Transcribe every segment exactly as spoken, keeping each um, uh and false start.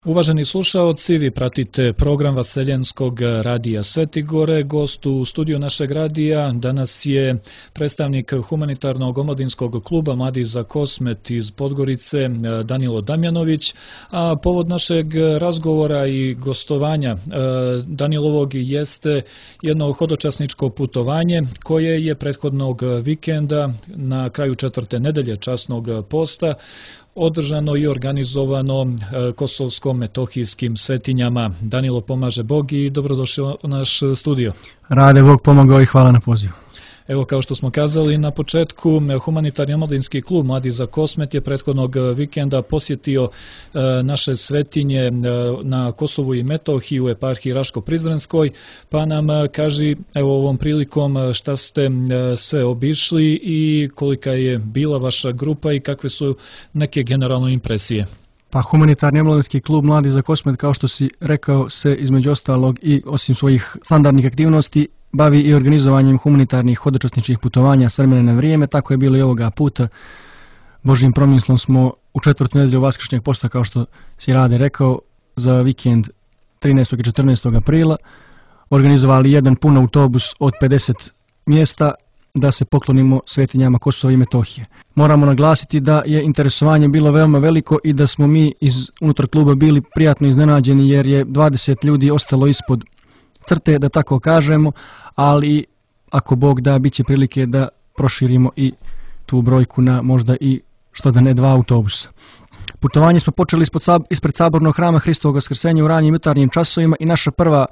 Uvaženi slušaoci, vi pratite program Vaseljenskog radija Svetigore. Gost u studiju našeg radija danas je predstavnik humanitarnog omladinskog kluba Mladi za Kosmet iz Podgorice, Danilo Damjanović. A povod našeg razgovora i gostovanja Danilovog jeste jedno hodočasničko putovanje koje je prethodnog vikenda na kraju četvrte nedelje časnog posta održano i organizovano kosovsko-metohijskim svetinjama. Danilo, pomaže Bog i dobrodošao u naš studio. Rade Bog, pomogao i hvala na pozivu. Evo, kao što smo kazali na početku, humanitarni omladinski klub Mladi za Kosmet je prethodnog vikenda posjetio naše svetinje na Kosovu i Metohiji u eparhiji Raško-Prizrenskoj, pa nam kaži evo ovom prilikom šta ste sve obišli i kolika je bila vaša grupa i kakve su neke generalne impresije. Pa humanitarni omladinski klub Mladi za Kosmet, kao što si rekao, se između ostalog i osim svojih standardnih aktivnosti bavi i organizovanjem humanitarnih hodočasničkih putovanja s vremena na vrijeme. Tako je bilo i ovoga puta. Božjim promislom smo u četvrtu nedelju Vaskršnjeg posta, kao što si Rade rekao, za vikend trinaestog i četrnaestog aprila organizovali jedan pun autobus od pedeset mjesta da se poklonimo svetinjama Kosova i Metohije. Moramo naglasiti da je interesovanje bilo veoma veliko i da smo mi iz unutar kluba bili prijatno iznenađeni, jer je dvadeset ljudi ostalo ispod crte, da tako kažemo, ali ako Bog da, bit će prilike da proširimo i tu brojku na možda i što da ne dva autobusa. Putovanje smo počeli ispod, ispred sabornog hrama Hristovog Vaskrsenja u ranijim jutarnjim časovima i naša prva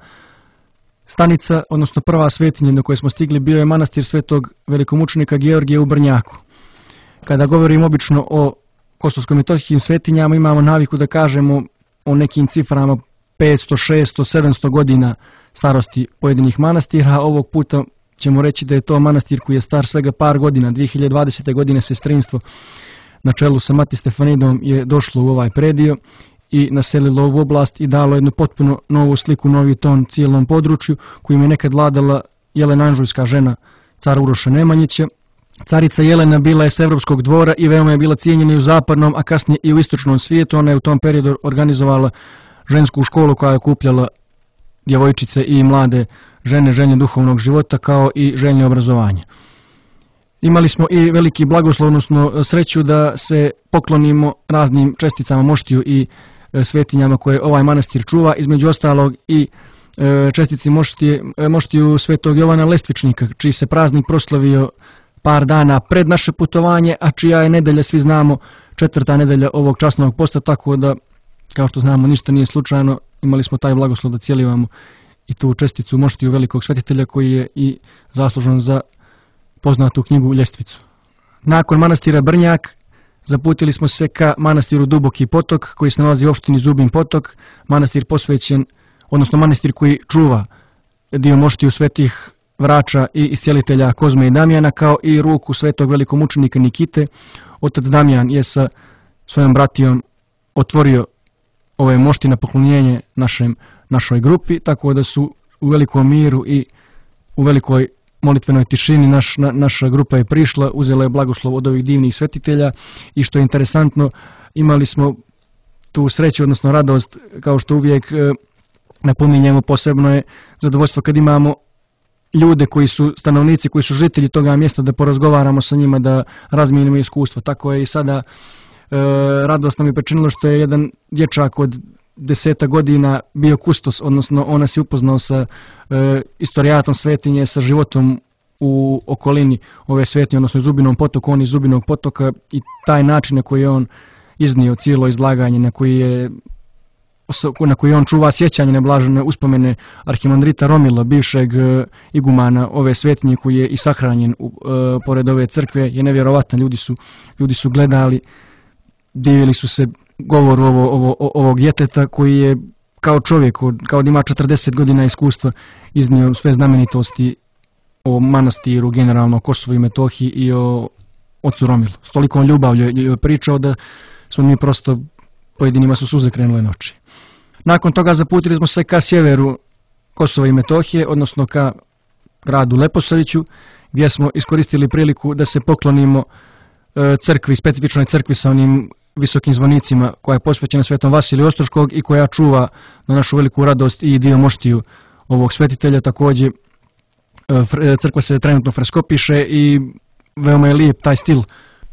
stanica, odnosno prva svetinja do koje smo stigli, bio je manastir svetog velikomučenika Georgija u Brnjaku. Kada govorimo obično o kosovsko-metohijskim svetinjama, imamo naviku da kažemo o nekim ciframa petsto, šesto, sedamsto godina starosti pojedinih manastira. Ovog puta ćemo reći da je to manastir koji je star svega par godina. dvije hiljade dvadesete. godine sestrinstvo na čelu sa Mati Stefanidom je došlo u ovaj predio i naselilo ovu oblast i dalo jednu potpuno novu sliku, novi ton cijelom području kojim je nekad vladala Jelena Anžujska, žena cara Uroša Nemanjića. Carica Jelena bila je s evropskog dvora i veoma je bila cijenjena i u zapadnom, a kasnije i u istočnom svijetu. Ona je u tom periodu organizovala žensku školu koja je okupljala djevojčice i mlade žene željne duhovnog života kao i željne obrazovanja. Imali smo i veliki blagoslov, odnosno sreću da se poklonimo raznim česticama moštiju i svetinjama koje ovaj manastir čuva, između ostalog i čestici moštije, moštiju svetog Jovana Lestvičnika, čiji se praznik proslavio par dana pred naše putovanje, a čija je nedelja, svi znamo, četvrta nedelja ovog časnog posta, tako da, kao što znamo, ništa nije slučajno. Imali smo taj blagoslov da cijelivamo i tu česticu moštiju velikog svetitelja koji je i zaslužan za poznatu knjigu Ljestvicu. Nakon manastira Brnjak zaputili smo se ka manastiru Duboki potok koji se nalazi u opštini Zubin potok, manastir posvećen, odnosno manastir koji čuva dio moštiju svetih vrača i iscijelitelja Kozme i Damjana, kao i ruku svetog velikomučenika Nikite. Otac Damjan je sa svojom bratijom otvorio ove mošti na poklonjenje našem, našoj grupi, tako da su u velikom miru i u velikoj molitvenoj tišini naš, na, naša grupa je prišla, uzela je blagoslov od ovih divnih svetitelja i što je interesantno, imali smo tu sreću, odnosno radost, kao što uvijek e, napominjemo, posebno je zadovoljstvo kad imamo ljude koji su stanovnici, koji su žitelji toga mjesta, da porazgovaramo sa njima, da razmijenimo iskustvo. Tako je i sada. E, radost nam je pričinilo što je jedan dječak od deseta godina bio kustos, odnosno on nas je upoznao sa e, istorijatom svetinje, sa životom u okolini ove svetinje, odnosno Zubinom potoku, on iz Zubinog potoka, i taj način na koji je on iznio cijelo izlaganje, na koji je na koji on čuva sjećanje na blažene uspomene arhimandrita Romila, bivšeg e, igumana ove svetinje, koji je i sahranjen u, e, pored ove crkve, je nevjerovatan. Ljudi su, ljudi su gledali, divili su se govoru ovo, ovo, ovog djeteta koji je kao čovjek, kao da ima četrdeset godina iskustva, iznio sve znamenitosti o manastiru, generalno o Kosovu i Metohiji i o ocu Romilu. S tolikom ljubavlju je pričao da smo mi prosto, pojedinima su suze krenule na oči. Nakon toga zaputili smo se ka sjeveru Kosova i Metohije, odnosno ka gradu Leposaviću, gdje smo iskoristili priliku da se poklonimo crkvi, specifičnoj crkvi sa onim visokim zvonicima, koja je posvećena svetom Vasiliju Ostroškog i koja čuva na našu veliku radost i dio moštiju ovog svetitelja. Također crkva se trenutno freskopiše i veoma je lijep taj stil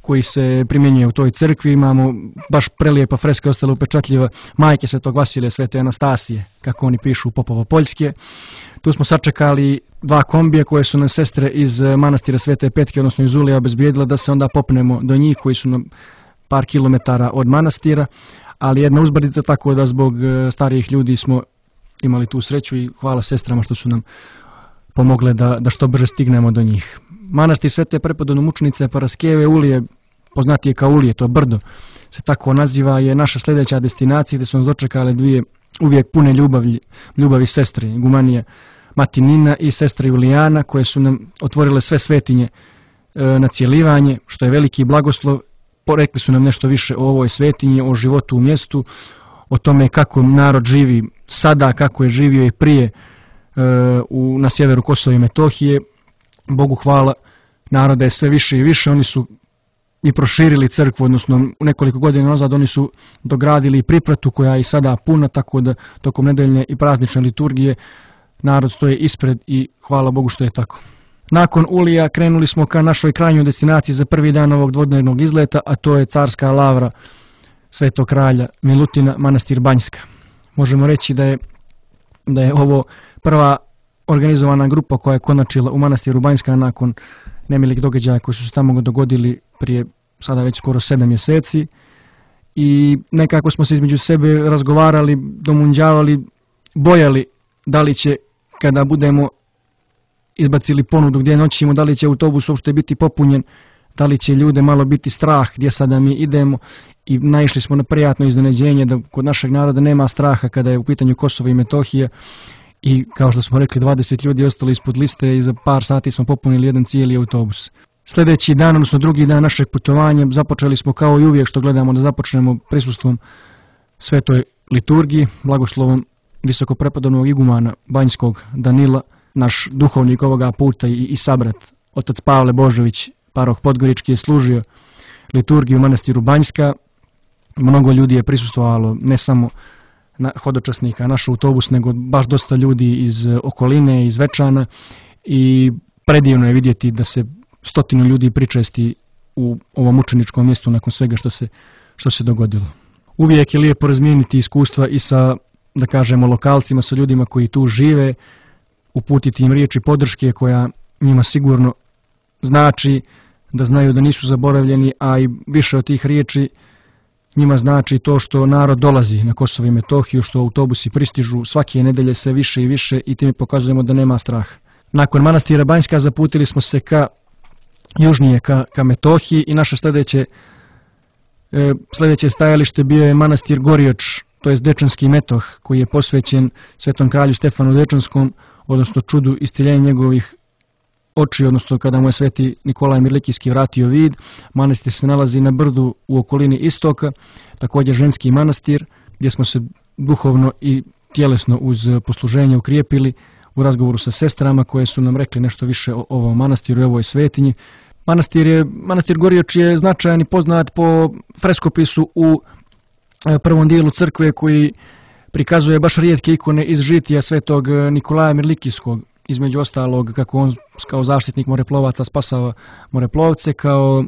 koji se primjenjuje u toj crkvi. Imamo baš prelijepa freska, ostala upečatljiva majke svetog Vasilija, svete Anastasije, kako oni pišu, Popovo-Poljske. Tu smo sačekali dva kombija koje su nas sestre iz manastira Svete Petke, odnosno iz Ulija, obezbijedile da se onda popnemo do njih, koji su na par kilometara od manastira, ali jedna uzbrdica, tako da zbog starijih ljudi smo imali tu sreću i hvala sestrama što su nam pomogle da, da što brže stignemo do njih. Manastir Svete Prepodobnomučenice Paraskeve, Ulije, poznatije kao Ulije, to brdo se tako naziva, je naša sljedeća destinacija gdje su nas dočekale dvije uvijek pune ljubavi, ljubavi sestre, igumanija Mati Nina i sestra Julijana, koje su nam otvorile sve svetinje e, na cijelivanje, što je veliki blagoslov. Porekli su nam nešto više o ovoj svetinji, o životu u mjestu, o tome kako narod živi sada, kako je živio i prije e, u, na sjeveru Kosova i Metohije. Bogu hvala, naroda je sve više i više. Oni su i proširili crkvu, odnosno nekoliko godina nazad oni su dogradili pripratu koja je i sada puna, tako da tokom nedeljne i praznične liturgije narod stoje ispred i hvala Bogu što je tako. Nakon Ulija krenuli smo ka našoj krajnjoj destinaciji za prvi dan ovog dvodnevnog izleta, a to je carska lavra Svetog kralja Milutina, manastir Banjska. Možemo reći da je, da je ovo prva organizovana grupa koja je konačila u manastiru Banjska nakon nemilih događaja koji su se tamo dogodili prije sada već skoro sedam mjeseci i nekako smo se između sebe razgovarali, domunđavali, bojali da li će kada budemo izbacili ponudu gdje noćimo, da li će autobus uopšte biti popunjen, da li će ljude malo biti strah gdje sada mi idemo i naišli smo na prijatno iznenađenje da kod našeg naroda nema straha kada je u pitanju Kosovo i Metohija i kao što smo rekli dvadeset ljudi ostalo ispod liste i za par sati smo popunili jedan cijeli autobus. Sljedeći dan, odnosno drugi dan našeg putovanja, započeli smo kao i uvijek što gledamo da započnemo prisustvom svetoj liturgiji, blagoslovom visokoprepodobnog igumana Banjskog Danila, naš duhovnik ovoga puta i, i sabrat, otac Pavle Božović, paroh Podgorički, je služio liturgiju u manastiru Banjska. Mnogo ljudi je prisustvovalo, ne samo na hodočasnika, naš autobus, nego baš dosta ljudi iz okoline, iz Večana i predivno je vidjeti da se stotinu ljudi pričesti u ovom učeničkom mjestu nakon svega što se, što se dogodilo. Uvijek je lijepo razmijeniti iskustva i sa, da kažemo, lokalcima, sa ljudima koji tu žive, uputiti im riječi podrške koja njima sigurno znači da znaju da nisu zaboravljeni, a i više od tih riječi njima znači to što narod dolazi na Kosovo i Metohiju, što autobusi pristižu svake nedelje sve više i više i time pokazujemo da nema straha. Nakon manastira Banjska zaputili smo se ka južnije, ka, ka Metohiji i naše sljedeće, e, sljedeće stajalište bio je manastir Gorioč, to je Dečanski Metoh, koji je posvećen svetom kralju Stefanu Dečanskom, odnosno čudu isciljenja njegovih oči, odnosno kada mu je sveti Nikolaj Mirlikijski vratio vid. Manastir se nalazi na brdu u okolini istoka, također ženski manastir, gdje smo se duhovno i tjelesno uz posluženje ukrijepili u razgovoru sa sestrama koje su nam rekli nešto više o ovom manastiru i ovoj svetinji. Manastir, je, manastir Gorioč je značajan i poznat po freskopisu u prvom dijelu crkve koji prikazuje baš rijetke ikone iz žitija svetog Nikolaja Mirlikijskog, između ostalog kako on kao zaštitnik moreplovaca spasava moreplovce, kao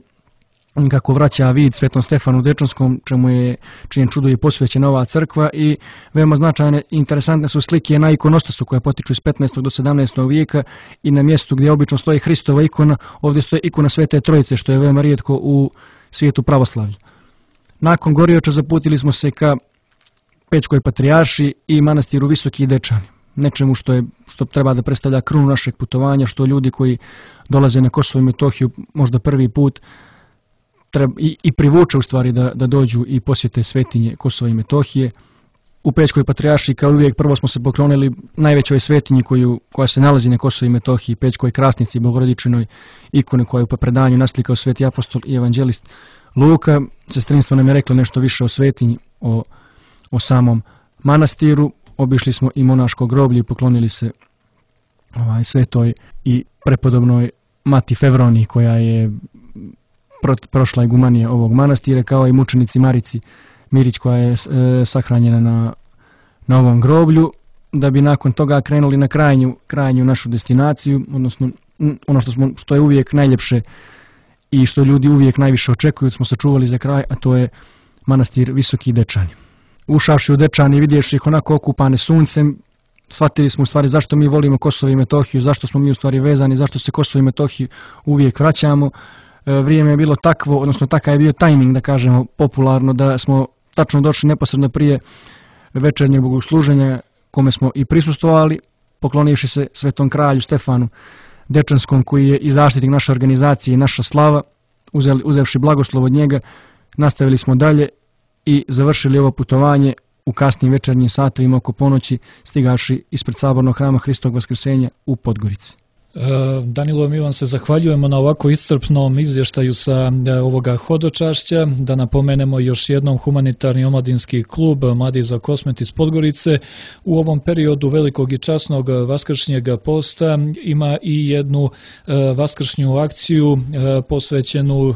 kako vraća vid svetom Stefanu Dečanskom, čemu je, čijem čudu je posvećena ova crkva, i veoma značajne i interesantne su slike na ikonostasu koja potiču iz petnaestog do sedamnaestog vijeka i na mjestu gdje obično stoji Hristova ikona, ovdje stoji ikona Svete Trojice, što je veoma rijetko u svijetu pravoslavlja. Nakon Gorioča zaputili smo se ka Pećkoj patrijarši i manastiru Visoki Dečani, nečemu što je što treba da predstavlja krunu našeg putovanja, što ljudi koji dolaze na Kosovo i Metohiju možda prvi put treba i, i privuče u stvari da, da dođu i posjete svetinje Kosova i Metohije. U Pećkoj patrijarši kao uvijek prvo smo se poklonili najvećoj svetinji koju, koja se nalazi na Kosovu i Metohiji, Pećkoj krasnici, Bogorodičinoj ikone koju po predanju naslikao sveti apostol i evanđelist Luka. Sestrinstvo nam je reklo nešto više o svetinji, o, o samom manastiru. Obišli smo i monaško groblje i poklonili se ovaj, svetoj i prepodobnoj Mati Fevroniji, koja je prošla igumanija ovog manastira, kao i mučenici Marici Mirić koja je e, sahranjena na, na ovom groblju, da bi nakon toga krenuli na krajnju, krajnju našu destinaciju, odnosno ono što, smo, što je uvijek najljepše i što ljudi uvijek najviše očekuju, smo sačuvali za kraj, a to je manastir Visoki Dečani. Ušavši u Dečani i vidjevši ih onako okupane suncem, shvatili smo u stvari zašto mi volimo Kosovo i Metohiju, zašto smo mi u stvari vezani, zašto se Kosovo i Metohiju uvijek vraćamo. E, vrijeme je bilo takvo, odnosno takav je bio tajming, da kažemo popularno, da smo tačno došli neposredno prije večernjeg bogosluženja kome smo i prisustvovali, poklonivši se svetom kralju Stefanu Dečanskom, koji je i zaštitnik naše organizacije i naša slava, uzeli, uzevši blagoslov od njega, nastavili smo dalje i završili ovo putovanje u kasnim večernjim satovima oko ponoći, stigavši ispred sabornog hrama Hristovog Vaskrsenja u Podgorici. Danilo, mi vam se zahvaljujemo na ovako iscrpnom izvještaju sa ovoga hodočašća. Da napomenemo još jednom, humanitarni omladinski klub Mladi za Kosmet iz Podgorice u ovom periodu velikog i časnog vaskršnjeg posta ima i jednu vaskršnju akciju posvećenu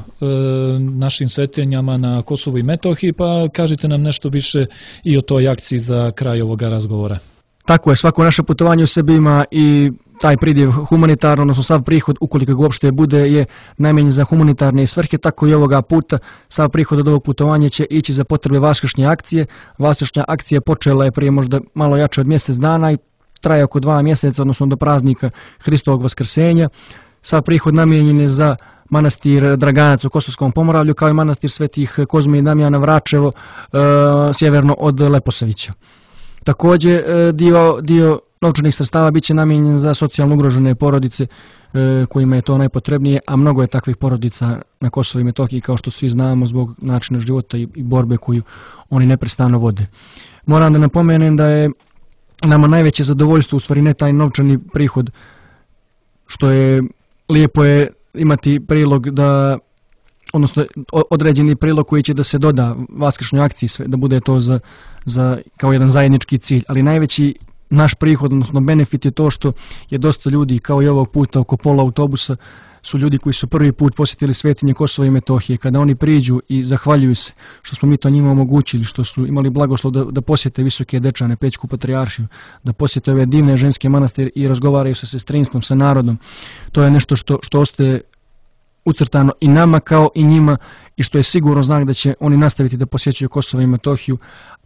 našim svetenjama na Kosovu i Metohiji, pa kažite nam nešto više i o toj akciji za kraj ovoga razgovora. Tako je, svako naše putovanje u sebi ima i taj pridjev humanitarno, odnosno sav prihod, ukoliko ga uopšte bude, je namijenjen za humanitarne svrhe, tako i ovoga puta sav prihod od ovog putovanja će ići za potrebe vaskršnje akcije. Vaskršnja akcija počela je prije možda malo jače od mjesec dana i traje oko dva mjeseca, odnosno do praznika Hristovog Vaskrsenja. Sav prihod namijenjen je za manastir Draganac u Kosovskom Pomoravlju, kao i manastir Svetih Kozme i Damjana Vračevo, e, sjeverno od Leposavića. Također dio, dio novčanih sredstava bit će namijenjen za socijalno ugrožene porodice e, kojima je to najpotrebnije, a mnogo je takvih porodica na Kosovu i Metohiji, kao što svi znamo, zbog načina života i, i borbe koju oni neprestano vode. Moram da napomenem da je nama najveće zadovoljstvo, u stvari ne taj novčani prihod, što je lijepo je imati prilog da, odnosno određeni prilog koji će da se doda vaskršnjoj akciji, sve, da bude to za, za, kao jedan zajednički cilj, ali najveći naš prihod, odnosno benefit je to što je dosta ljudi, kao i ovog puta oko pola autobusa, su ljudi koji su prvi put posjetili svetinje Kosova i Metohije. Kada oni priđu i zahvaljuju se što smo mi to njima omogućili, što su imali blagoslov da, da posjete Visoke Dečane, Pećku patrijaršiju, da posjete ove divne ženske manastire i razgovaraju sa sestrinstvom, sa narodom, to je nešto što, što ostaje ucrtano i nama kao i njima i što je sigurno znak da će oni nastaviti da posjećuju Kosovo i Metohiju,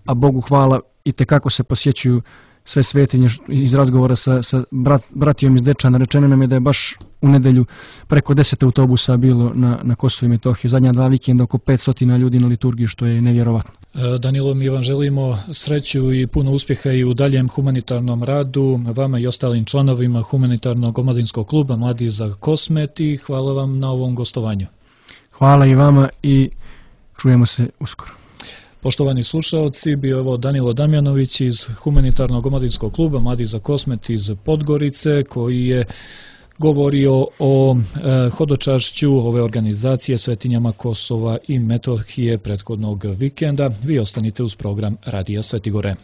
a Bogu hvala i tekako se posjećuju sve svetinje. Iz razgovora sa, sa brat, bratijom iz Dečana rečeno nam je da je baš u nedelju preko deset autobusa bilo na, na Kosovo i Metohiju. Zadnja dva vikenda oko petsto ljudi na liturgiji, što je nevjerovatno. Danilo, mi vam želimo sreću i puno uspjeha i u daljem humanitarnom radu, vama i ostalim članovima humanitarnog omladinskog kluba Mladi za Kosmet, i hvala vam na ovom gostovanju. Hvala i vama i čujemo se uskoro. Poštovani slušaoci, bio je ovo Danilo Damjanović iz humanitarnog omladinskog kluba Mladi za Kosmet iz Podgorice, koji je govorio o e, hodočašću ove organizacije svetinjama Kosova i Metohije prethodnog vikenda. Vi ostanite uz program Radija Svetigore.